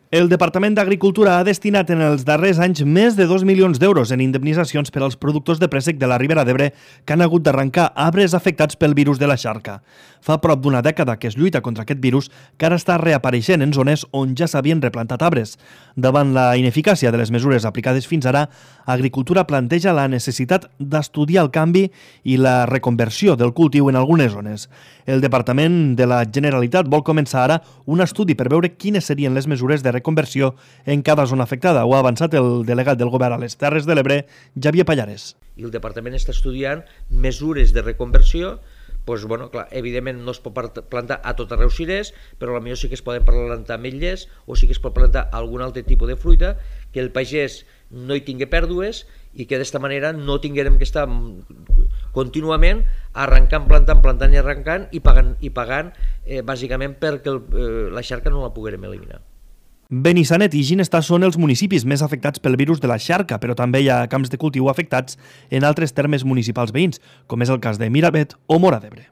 El Departament d'Agricultura ha destinat en els darrers anys més de 2 milions d'euros en indemnitzacions per als productors de préssec de la Ribera d'Ebre que han hagut d'arrencar arbres afectats pel virus de la xarca. Fa prop d'una dècada que es lluita contra aquest virus que ara està reapareixent en zones on ja s'havien replantat arbres. Davant la ineficàcia de les mesures aplicades fins ara, Agricultura planteja la necessitat d'estudiar el canvi i la reconversió del cultiu en algunes zones. El Departament de la Generalitat vol començar ara un estudi per veure quines serien les mesures de reconversió en cada zona afectada. Ho ha avançat el delegat del Govern a les Terres de l'Ebre, Xavier Pallares. I el Departament està estudiant mesures de reconversió. Doncs, clar, evidentment no es pot plantar a tot arreu cirers, però potser sí que es poden plantar ametllers o sí que es pot plantar algun altre tipus de fruita, que el pagès no hi tingui pèrdues i que d'esta manera no tinguem que estar contínuament arrencant, plantant i arrencant i pagant bàsicament perquè la xarca no la poguérem eliminar. Benissanet i Ginestar són els municipis més afectats pel virus de la xarca, però també hi ha camps de cultiu afectats en altres termes municipals veïns, com és el cas de Miravet o Móra d'Ebre.